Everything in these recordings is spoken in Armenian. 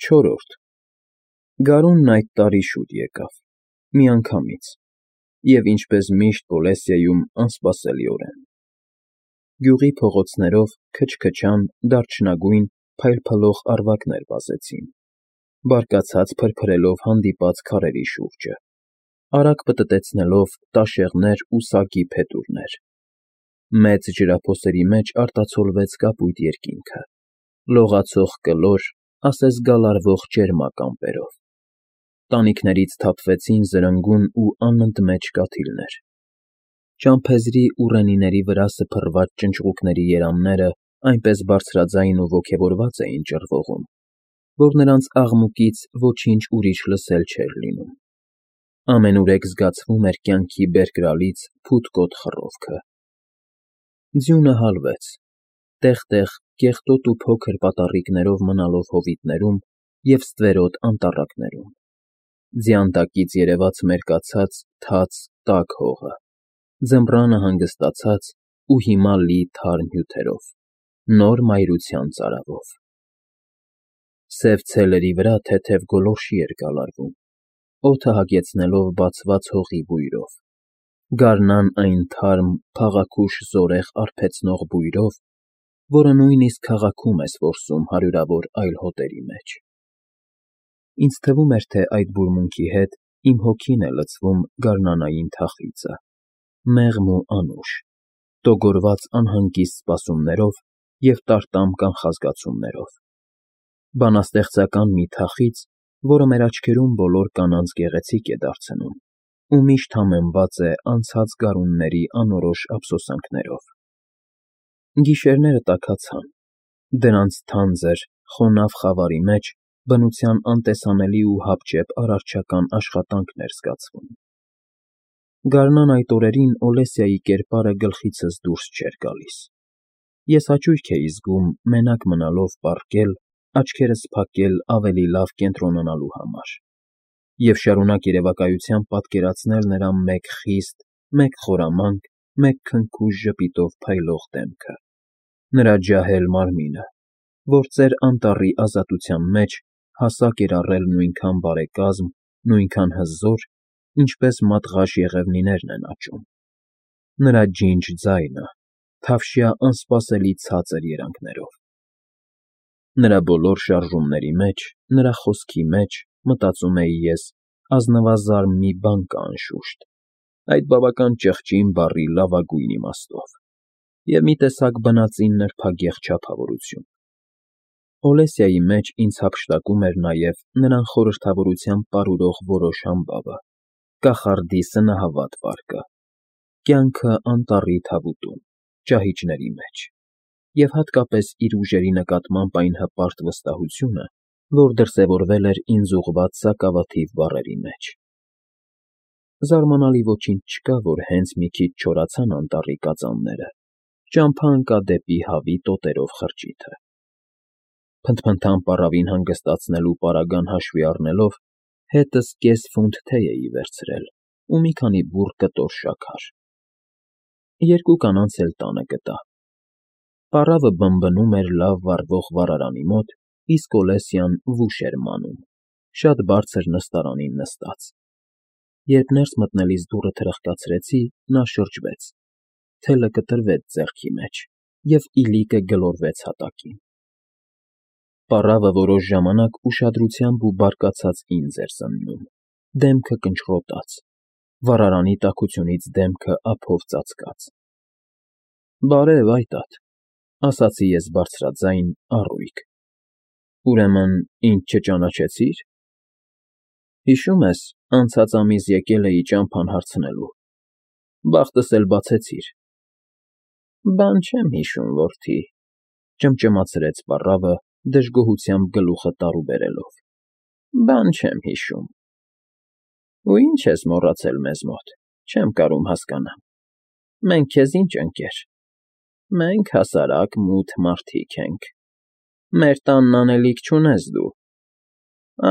Չորրորդ Գարունն այդ տարի շուտ եկավ, միանգամից, և ինչպես միշտ Պոլեսիայում անսպասելիորեն. գյուղի փողոցներով քչքչան դարչնագույն փայլփլող առվակներ վազեցին, բարկացած փրփրելով հանդիպած քարերի շուրջը, արագ պտտեցնելով տաշեղներ ու սագի փետուրներ. մեծ ջրափոսերի մեջ արտացոլվեց կապույտ երկինքը, լողացող կլոր, ասես գալարվող ճերմակ ամպերով, տանիքներից թափվեցին զրնգուն ու անընդմեջ կաթիլներ, ճամփեզի ու ռենիների վրա սփռված ճնճղուկների երամները այնպես բարձրաձայն ու ոգևորված էին ճռվողում, որ նրանց աղմուկից ոչինչ ուրիշ լսել չէր լինում. ամենուրեք զգացվում էր կյանքի բերկրալից փութկոտ խռովքը. ձյունը հալվեց, տեղ֊տեղ կեղտոտ ու փոքր պատառիկներով մնալով հովիտներում և ստվերոտ անտառակներում, ձյան տակից երևաց մերկացած թաց տաք հողը, ձմռանը հանգստացած ու հիմա լի թարմ հյութերով, նոր մայրության ծարավով. սև ցելերի վրա թեթև գոլորշի էր գալարվում, օդը հագեցնելով բացված հողի բույրով, գարնան այն թարմ, փաղաքուշ զորեղ արբեցնող բույրով, որը նույնիսկ քաղաքում է որսում հարյուրավոր այլ հոտերի մեջ. Ինձ թվում էր, թե այդ բուրմունքի հետ իմ հոգին է լցվում գարնանային թախիծը, մեղմ ու անուշ, տոգորված անհանգիստ սպասումներով և տարտամ կանխազգացումներով, բանաստեղծական մի թախիծ, որը մեր աչքերում բոլոր կանանց գեղեցիկ է դարձնում ու միշտ համեմված է անցած գարունների անորոշ ափսոսանքներով. Գիշերները տաքացան, դրանց թանձր, խոնավ խավարի մեջ բնության անտեսանելի ու հապճեպ արարչական աշխատանքն էր զգացվում. գարնան այդ օրերին Օլեսիայի կերպարը գլխիցս դուրս չէր գալիս, ես հաճույք էի զգում մենակ մնալով պառկել, աչքերս փակել ավելի լավ կենտրոնանալու համար և շարունակ երևակայությամբ պատկերացնել նրա մեկ խիստ, մեկ խորամանկ, մեկ քնքուշ ժպիտով փայլող դեմքը, նրա ջահել մարմինը, որ ծեր անտառի ազատության մեջ հասակ էր առել նույնքան բարեկազմ, նույնքան հզոր, ինչպես մատղաշ եղևնիներն են աճում, նրա ջինջ ձայնը, թավշյա անսպասելի ցածր երանգներով. նրա բոլոր շարժումների մեջ, նրա խոսքի մեջ, մտածում էի ես, ազնվազարմ մի բան կա անշուշտ, այդ բավական ճղճին բառի լավագույն իմաստով, և մի տեսակ բնածին նրբագեղ չափավորություն. Օլեսիայի մեջ ինձ հափշտակում էր նաև նրան խորհրդավորությամբ պարուրող որոշ համբավը, կախարդի սնահավատ վարկը, կյանքը անտառի թավուտում, ճահիճների մեջ, և հատկապես իր ուժերի նկատմամբ այն հպարտ վստահությունը, որ դրսևորվել էր ինձ ուղղված սակավաթիվ բառերի մեջ. Զարմանալի ոչինչ չկա, որ հենց մի քիչ չորացան անտառի կածանները, ճամփա ընկա դեպի հավի տոտերով խրճիթը. փնթփնթան պառավին հանգստացնելու պարագան հաշվի առնելով, հետս կես ֆունտ թեյ էի վերցրել ու մի քանի բուռ կտոր շաքար. երկու կանանց էլ տանը գտա. պառավը բնբնում էր լավ վառվող վառարանի մոտ, իսկ Օլեսյան վուշ էր մանում, շատ բարձր նստարանին նստած. երբ ներս մտնելիս դուռը թրխկացրեցի, նա շրջվեց, թելը կտրվեց ձեռքի մեջ և իլիկը գլորվեց հատակին. պառավը որոշ ժամանակ ուշադրությամբ ու բարկացած ինձ էր զննում, դեմքը կնճռոտած, վառարանի տաքությունից դեմքը ափով ծածկած: բարև, այտադ, ասացի ես բարձրաձայն, առույգ, ուրեմն ինձ չճանաչեցի՞ր: Հիշում ես, անցած ամիս եկել էի ճամփան հարցնելու, բախտս էլ բացեցիր: Բան չեմ հիշում, որդի, ճմճմացրեց պառավը, դժգոհությամբ գլուխը տարուբերելով, բան չեմ հիշում: Ու ի՞նչ ես մոռացել մեզ մոտ, չեմ կարում հասկանամ, մենք քեզ ի՞նչ ընկեր: Մենք հասարակ մութ մարդիկ ենք, մեր տանն անելիք չունես դու: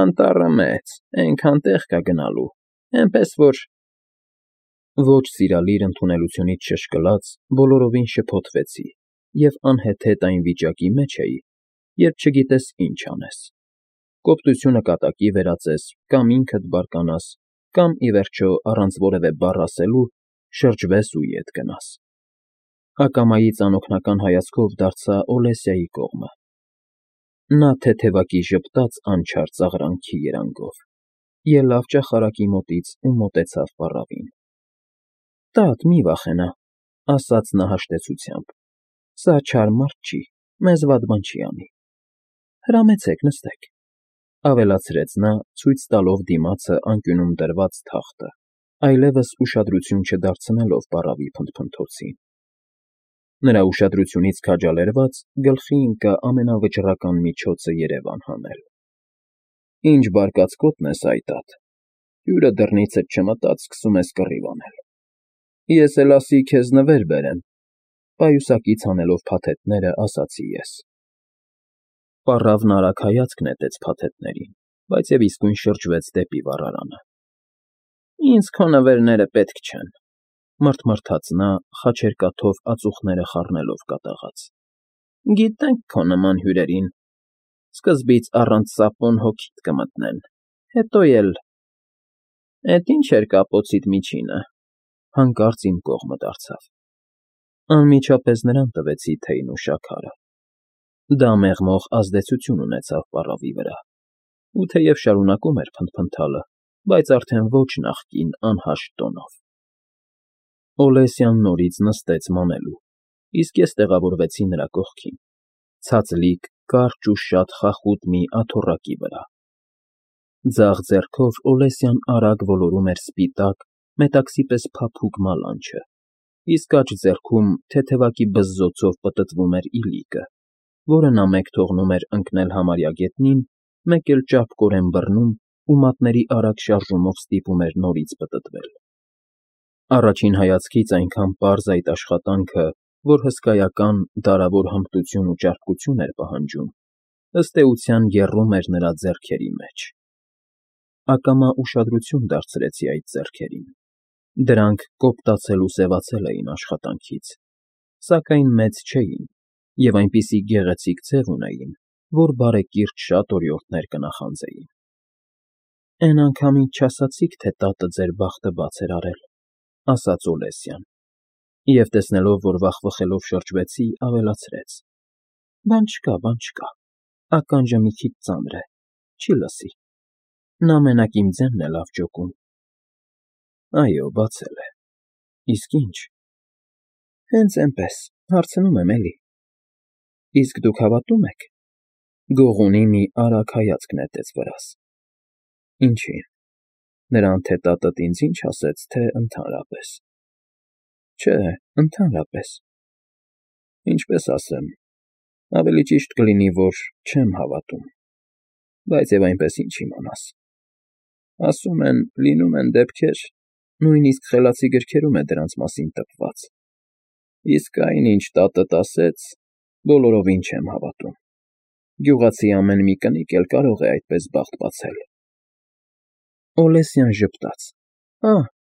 Անտառը մեծ, էնքան տեղ կա գնալու, էնպես որ… Ոչ սիրալիր ընդունելությունից շշկլած, բոլորովին շփոթվեցի և անհեթեթ այն վիճակի մեջ էի, երբ չգիտես ինչ անես: Կոպտությունը կատակի վերածես, կամ ինքդ բարկանաս, կամ, ի վերջո, առանց որևէ բառ ասելու, շրջվես ու ետ գնաս։ Ակամայից անօգնական հայացքով դարձա Օլեսիայի կողմը։ Նա թեթևակի ժպտաց անչափ ծաղրանքի երանգով, ելավ ճախարակի մոտից ու մոտեցավ պառավին։ Տատ, մի վախենա, ասաց նա հաշտեցությամբ, սա չար մարդ չի, մեզ վատ բան չի անի։ Հրամեցեք, նստեք, ավելացրեց նա, ցույց տալով դիմացը անկյունում դրված թախտը, այլևս ուշադրություն չդարձնելով պառավի փնթփնթոցին։ Նրա ուշադրությունից քաջալերված գլխի ընկա ամենավճռական միջոցը երևան հանել։ Ինչ բարկացկոտն ես, այ տատ, հյուրը դռնիցդ չմտած սկսում ես կռիվ անել։ Ես էլ ասի քեզ նվեր բերեմ, պայուսակից հանելով փաթեթները, ասացի ես։ Պառավն արագ հայացք նետեց փաթեթներին, բայց և իսկույն շրջվեց դեպի վառարանը։ Ինձ քո նվերները պետք չեն, մռթմռթաց նա, խաչերկաթով ածուխները խառնելով կատաղած։ Գիտենք քո նման հյուրերին, սկզբից առանց սապոն հոգիդ կմտնեն, հետո էլ… Էդ ինչ էր կապոցիդ միջինը, հանկարծ իմ կողմը դարձավ։ Անմիջապես նրան տվեցի թեյն ու շաքարը։ Դա մեղմող ազդեցություն ունեցավ պառավի վրա, ու թեև շարունակում էր փնթփնթալը, բայց արդեն ոչ նախկին անհաշտ տոնով։ Օլեսյան նորից նստեց մանելու, իսկ ես տեղավորվեցի նրա կողքին, ցածլիկ, կարճ ու շատ խախուտ մի աթոռակի վրա։ Ձախ ձեռքով Օլեսյան արագ ոլորում էր սպիտակ, մետաքսի պես փափուկ մալանչը, իսկ աջ ձեռքում թեթևակի բզզոցով պտտվում էր իլիկը, որը նա մեկ թողնում էր ընկնել համարյա գետնին, մեկ էլ ճարպկորեն բռնում ու մատների արագ շարժումով ստիպում էր նորից պտտվել։ Առաջին հայացքից այնքան պարզ այդ աշխատանքը, որ հսկայական, դարավոր հմտություն ու ճարպկություն էր պահանջում, ըստ էության եռում էր նրա ձեռքերի մեջ։ Ակամա ուշադրություն դարձրեցի այդ ձեռքերին։ Դրանք կոպտացել ու սևացել էին աշխատանքից, սակայն մեծ չէին և այնպիսի գեղեցիկ ձև ունեին, որ բարեկիրթ շատ օրիորդներ կնախանձեին։ Էն անգամից չասացիք, թե տատը ձեր բախտը բաց էր արել, ասաց Օլեսյան, և տեսնելով, որ վախվխելով շրջվեցի, ավելացրեց. Բան չկա, ականջը մի քիչ ծանր է, չի լսի, նա մենակ իմ ձենն է լավ ջոկում։ Այո, բացել է, իսկ ինչ։ Հենց էնպես, հարցնում եմ էլի։ Իսկ դուք հավատում եք։ Գողունի մի արագ հայացք նետեց վրաս։ Ինչի՞, նրան թե տատդ ինձ ինչ ասեց, թե ընդհանրապես։ Չէ, ընդհանրապես։ Ինչպես ասեմ, ավելի ճիշտ կլինի, որ չեմ հավատում, բայց և այնպես ինչ իմանաս։ Ասում են, լինում են դեպքեր, նույնիսկ խելացի գրքերում է դրանց մասին տպված, իսկ այն, ինչ տատդ ասեց, բոլորովին չեմ հավատում։ Գյուղացի ամեն մի կնիկ էլ կարող է այդպես բախտ բացել։ Օլեսյան ժպտաց.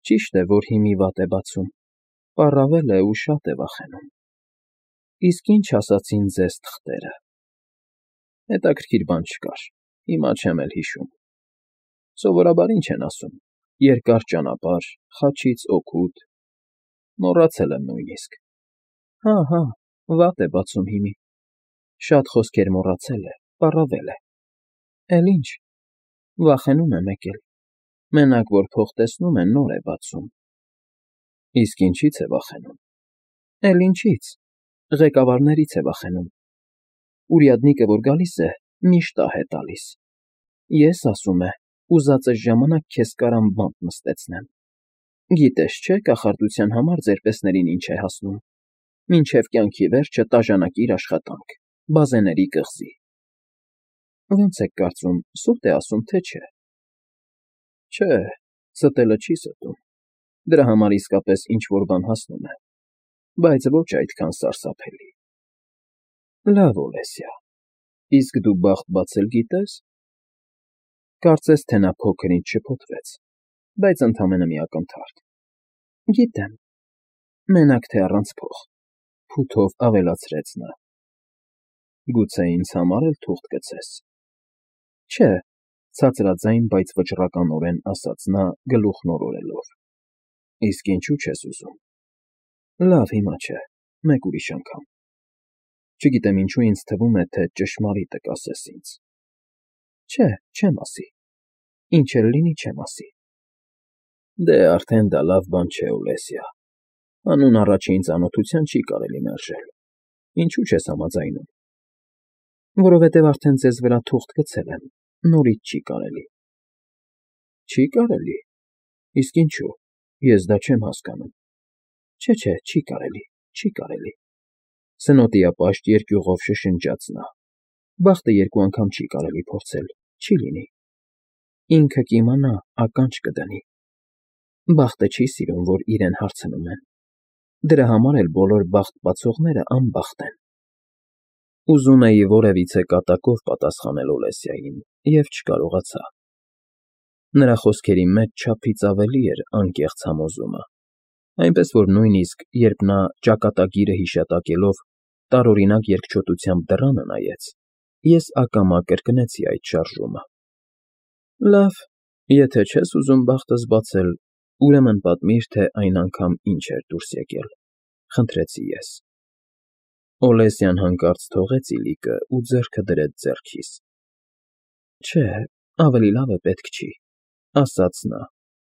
ճիշտ է, որ հիմի վատ է բացում, պառավել է ու շատ է վախենում։ Իսկ ինչ ասացին ձեզ թղթերը։ Հետաքրքիր բան չկար, հիմա չեմ էլ հիշում։ Սովորաբար ինչ են ասում. երկար ճանապարհ, խաչից օգուտ, մոռացել եմ նույնիսկ։ Հա, վատ է բացում հիմի։ Շատ խոսքեր մոռացել է, պառավել է։ Էլ ինչ, վախենում է մեկ էլ։ Մենակ որ փող տեսնում է, նոր է բացում։ Իսկ ինչի՞ց է վախենում։ Էլ ինչի՞ց, ղեկավարներից է վախենում։ Ուրյադնիկը, որ գալիս է, միշտ ահ է տալիս։ Ես, ասում է, ուզածս ժամանակ քեզ կարամ բանտ նստեցնեմ։ Գիտես չէ, կախարդության համար ձերպեսներին ինչ է հասնում։ Մինչև կյանքի վերջը տաժանակիր աշխատանք, բազեների կղզի։ Ոնց եք կարծում, սուտ է ասում, թե չէ։ Չէ, ստելը չի ստում։ Դրա համար իսկապես ինչ֊որ բան հասնում է, բայց ոչ այդքան սարսափելի։ Լավ, Օլեսյա, իսկ դու բախտ բացել գիտե՞ս։ Կարծես թե նա փոքր-ինչ շփոթվեց, բայց ընդամենը մի ակնթարթ։ Գիտեմ, մենակ թե առանց փող, փութով ավելացրեց նա։ Գուցե ինձ համար էլ թուղթ գցես։ Չէ, ցածրաձայն, բայց վճռականորեն ասաց նա, գլուխն օրորելով։ Իսկ ինչու չես ուզում։ Լավ, հիմա չէ, մեկ ուրիշ անգամ։ Չգիտեմ ինչու ինձ թվում է, թե ճշմարիտը կասես ինձ։ Չէ, չեմ ասի։ Ինչ էլ լինի, չեմ ասի։ Դե արդեն դա լավ բան չէ, Օլեսիա։ Հանուն առաջին ծանոթության չի կարելի մերժել։ Ինչու չես համաձայնում։ Որովհետև արդեն ձեզ վրա թուղթ գցել եմ, նորից չի կարելի։ Չի կարելի։ Իսկ ինչու։ Ես դա չեմ հասկանում։ Չէ, չի կարելի, չի կարելի։ Սնոտիապաշտ երկյուղով շշնջաց նա։ Բախտը երկու անգամ չի կարելի փորձել, չի լինի։ Ինքը կիմանա, ականջ կդնի։ Բախտը չի սիրում, որ իրեն հարցնում են։ Դրա համար էլ բոլոր բախտ բացողները անբախտ են։ Ուզում էի որևիցե կատակով պատասխանել Օլեսիային և չկարողացա։ Նրա խոսքերի մեջ չափից ավելի էր անկեղծ համոզումը, այնպես որ նույնիսկ երբ նա ճակատագիրը հիշատակելով տարօրինակ երկչոտությամբ դռանը նայեց, ես ակամա կրկնեցի այդ շարժումը։ Լավ, եթե չես ուզում բախտս բացել, ուրեմն պատմիր, թե այն անգամ ինչ էր դուրս եկել, խնդրեցի ես։ Օլեսյան հանկարծ թողեց իլիկը ու ձեռքը դրեց ձեռքիս։ Չէ, ավելի լավ է պետք չի, ասաց նա,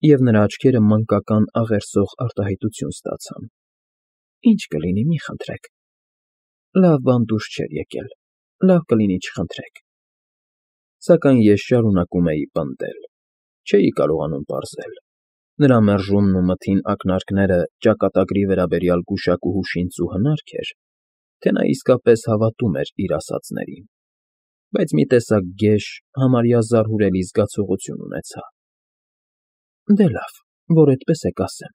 և նրա աչքերը մանկական աղերսող արտահայտություն ստացան։ Ինչ կլինի, մի խնդրեք։ Լավ բան դուրս չէր եկել, լավ կլինի չխնդրեք։ Սակայն ես շարունակում էի պնդել, չէի կարողանում պարզել։ Նրա մերժումն ու մթին ակնարկները ճակատագրի վերաբերյալ գուշակուհու շինծ ու հնարք էր, թե նա իսկապես հավատում էր իր ասածներին, բայց մի տեսակ գեշ, համարյա զարհուրելի զգացողություն ունեցա։ Դե լավ, որ այդպես է կասեմ,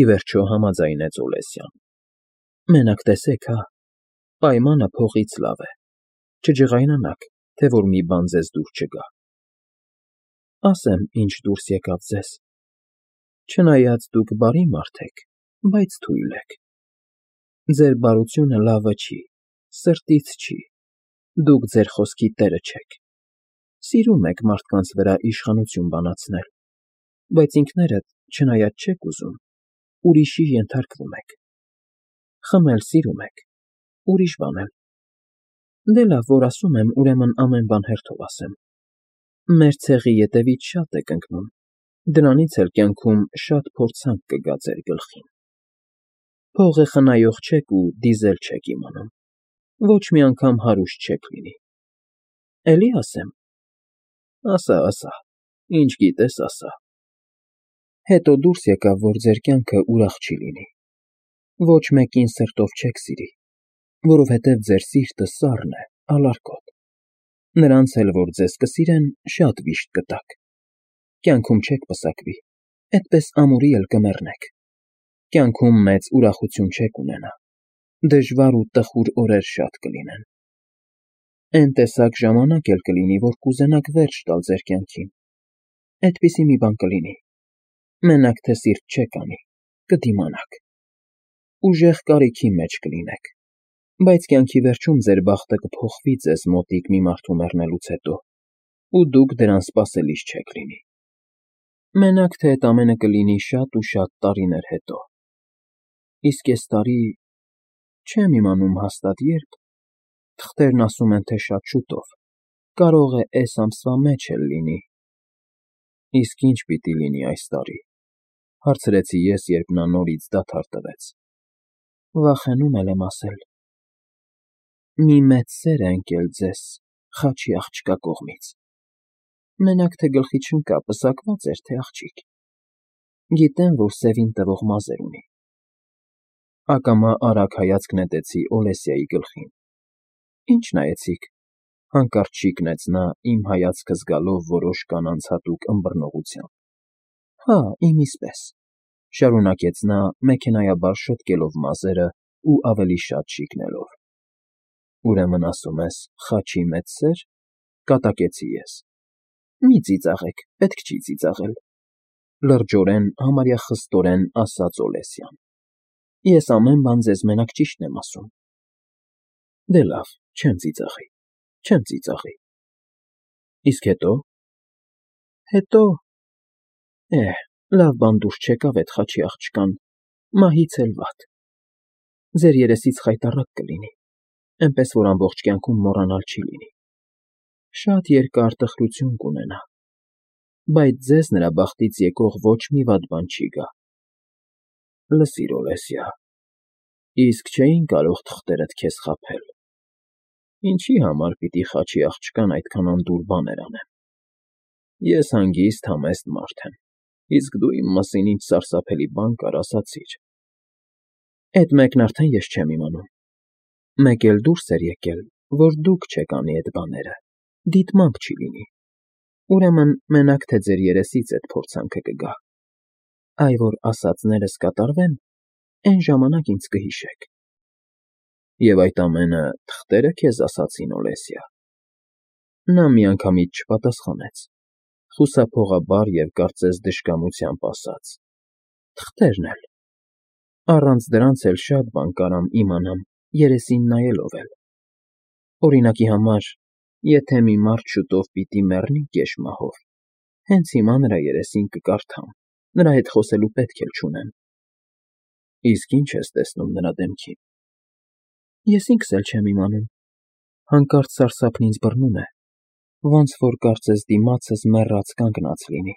ի վերջո համաձայնեց Օլեսյան։ Մենակ տեսեք, հա, պայմանը փողից լավ է, չջղայնանաք, թե որ մի բան ձեզ դուր չգա։ Ասեմ, ինչ դուրս եկավ ձեզ։ Չնայած դուք բարի մարդ եք, բայց թույլ եք։ Ձեր բարությունը լավը չի, սրտից չի, դուք ձեր խոսքի տերը չեք։ Սիրում եք մարդկանց վրա իշխանություն բանացնել, բայց ինքներդ, չնայած չեք ուզում, ուրիշի ենթարկվում եք։ Խմել սիրում եք, ուրիշ բան էլ։ Դե լավ, որ ասում եմ, ուրեմն ամեն բան հերթով ասեմ։ Մեր ցեղի ետևից շատ եք ընկնում, դրանից էլ կյանքում շատ փորձանք կգա ձեր գլխին։ Փողը խնայող չեք ու դիզել չեք իմանում, ոչ մի անգամ հարուստ չեք լինի։ Էլի ասեմ։ Ասա, ինչ գիտես, ասա։ Հետո դուրս եկավ, որ ձեր կյանքը ուրախ չի լինի։ Ոչ մեկին սրտով չեք սիրի, որովհետև ձեր սիրտը սառն է, ալարկոտ։ Նրանց էլ, որ ձեզ կսիրեն, շատ վիշտ կտաք։ Կյանքում չեք պսակվի, էդպես ամուրի էլ կմեռնեք։ Կյանքում մեծ ուրախություն չեք ունենա, դժվար ու տխուր օրեր շատ կլինեն։ Էն տեսակ ժամանակ էլ կլինի, որ կուզենաք վերջ տալ ձեր կյանքին։ Էդպիսի մի բան կլինի։ Մենակ թե սիրտ չեք անի, կդիմանաք։ Ուժեղ կարիքի մեջ կլինեք, բայց կյանքի վերջում ձեր բախտը կփոխվի ձեզ մոտիկ մի մարդու մեռնելուց հետո, ու դուք դրան սպասելիս չեք լինի։ Մենակ թե այդ ամենը կլինի շատ ու շատ տարիներ հետո։ Իսկ այս տարի չեմ իմանում հաստատ երբ, թղթերն ասում են, թե շատ շուտով, կարող է այս ամսվա մեջ էլ լինի։ Իսկ ինչ պիտի լինի այս տարի, հարցրեցի ես, երբ նա նորից դադար տվեց։ Վախենում եմ ասել։ Մի մեծ սեր է ընկել ձեզ Խաչի աղջկա կողմից։ Մենակ թե գլխի չընկա, պսակված էր, թե աղջիկ։ Գիտեմ, որ սևին տվող մազեր ունի։ Ակամա արագ հայացք նետեցի Օլեսիայի գլխին։ Ինչ նայեցիք, հանկարծ շիկնեց նա, իմ հայացքը զգալով որոշ կանանց հատուկ ըմբռնողությամբ։ Հա, իմիսպես, շարունակեց նա, մեքենայաբար շտկելով մազերը ու ավելի շատ շիկնելով։ Ուրեմն ասում ես, Խաչի մեծ սեր, կատակեցի ես։ Մի ծիծաղեք, պետք չի ծիծաղել, լրջորեն, համարյա խստորեն ասաց Օլեսյան։ Ես ամեն բան ձեզ մենակ ճիշտն եմ ասում։ Դե լավ, չեմ ծիծաղի։ Իսկ հետո։ Հետո… Լավ բան դուրս չեկավ էդ խաչի աղջկան, մահից էլ վատ։ Ձեր երեսից խայտառակ կլինի, էնպես որ ամբողջ կյանքում մոռանալ չի լինի։ Շատ երկար տխրություն կունենա, բայց ձեզ նրա բախտից եկող ոչ մի վատ բան չի գա։ Լսիր, Օլեսիա, իսկ չէին կարող թղթերդ քեզ խաբել։ Ինչի համար պիտի խաչի աղջկան այդքան անդուր բաներ անեմ։ Ես հանգիստ, համեստ մարդ եմ, իսկ դու իմ մասին ինչ սարսափելի բան կար ասացիր։ Էդ մեկն արդեն ես չեմ իմանում։ Մեկ էլ դուրս էր եկել, որ դուք չեք անի էդ բաները, դիտմամբ չի լինի։ Ուրեմն մենակ թե ձեր երեսից էդ փորձանքը կգա։ Այ որ ասածներս կատարվեն, էն ժամանակ ինձ կհիշեք։ Եվ այդ ամենը թղթերը քեզ ասացին, Օլեսիա։ Նա միանգամից չպատասխանեց, խուսափողաբար և կարծես դժկամությամբ ասաց. Թղթերն էլ։ Առանց դրանց էլ շատ բան կարամ իմանամ երեսին նայելով էլ։ Օրինակի համար, եթե մի մարդ շուտով պիտի մեռնի գեշ-մահով, հենց հիմա նրա երեսին կկարդամ, նրա հետ խոսելու պետք էլ չունեմ։ Իսկ ի՞նչ ես տեսնում նրա դեմքին։ Ես ինքս էլ չեմ իմանում։ Հանկարծ սարսափն ինձ բռնում է, ոնց որ կարծես դիմացս մեռած կանգնած լինի։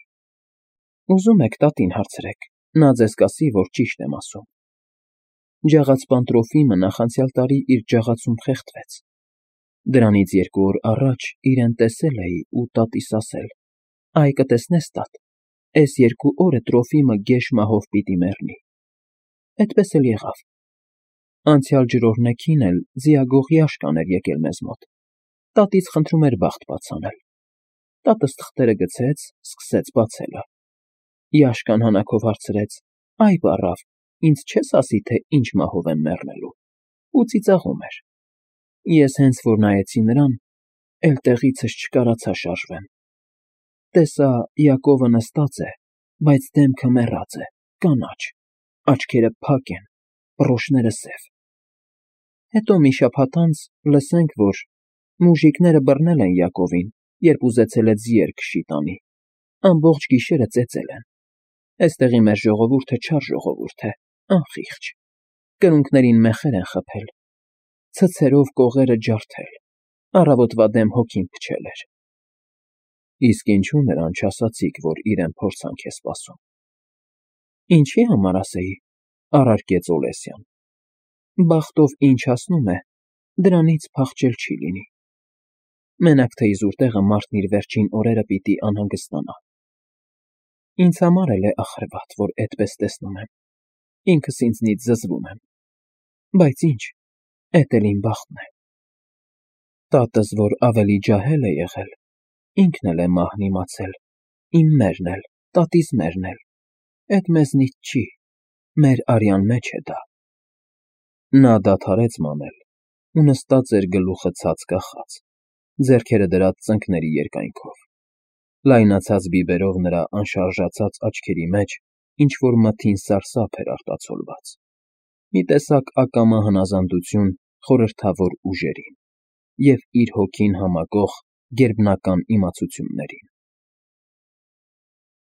Ուզում եք տատին հարցրեք, նա ձեզ կասի, որ ճիշտ եմ ասում։ Ջաղացպան Տրոֆիմը նախանցյալ տարի իր ջաղացում խեղդվեց։ Դրանից 2 օր առաջ իրեն տեսել էի ու տատիս ասել. «Այ կտեսնես, տատ, էս 2 օրը Տրոֆիմը գեշ-մահով պիտի մեռնի»։ Էդպես էլ եղավ։ Անցյալ ջրօրհնեքին էլ ձիագող Յաշկան էր եկել մեզ մոտ։ Տատից խնդրում էր բախտ բաց անել։ Տատս թղթերը գցեց, սկսեց բացելը։ Յաշկան հանակով հարցրեց. «Այ բառավ, ինձ չես ասի, թե ինչ մահով եմ մեռնելու»։ Ու ծիծաղում էր։ Ես հենց որ նայեցի նրան, էլ տեղիցս չկարացա շարժվեմ։ Տեսա Յակովը նստած է, բայց դեմքը մեռած է, կանաչ, աչքերը փակ են, բռոշները սև։ Հետո մի շաբաթ անց լսենք, որ մուժիկները բռնել են Յակովին, երբ ուզեցել է ձիեր քշի տանի։ Ամբողջ գիշերը ծեծել են։ Էստեղի մեր ժողովուրդը չար ժողովուրդ է, անխիղճ։ Կրունկներին մեխեր են խփել, ցցերով կողերը ջարդել, առավոտվա դեմ հոգին փչել էր։ Իսկ ինչու նրան չասացիք, որ իրեն փորձանք է սպասում։ Ինչի համար ասեի, առարկեց Օլեսյան։ Բախտով ինչ հասնում է, դրանից փախչել չի լինի։ Մենակ թե իզուր տեղը մարդն իր վերջին օրերը պիտի անհանգստանա։ Ինձ համար էլ է ախրվատ, որ էդպես տեսնում եմ։ Ինքս ինձնից զզվում եմ։ Բայց ինչ, էդ էլ իմ բախտն է։ Տատս, որ ավելի ջահել է եղել, ինքն էլ է մահն իմացել, իմ մերն էլ, տատիս մերն էլ։ Էդ մեզնից չի, մեր արյան մեջ է դա։ Նա դադարեց մանել ու նստած էր գլուխը ցած կախած, ձեռքերը դրած ծնկների երկայնքով։ Լայնացած բիբերով նրա անշարժացած աչքերի մեջ ինչ-որ մթին սարսափ էր արտացոլված։ Մի տեսակ ակամա հնազանդություն խորհրդավոր ուժերին և իր հոգին համակող գերբնական իմացություններին։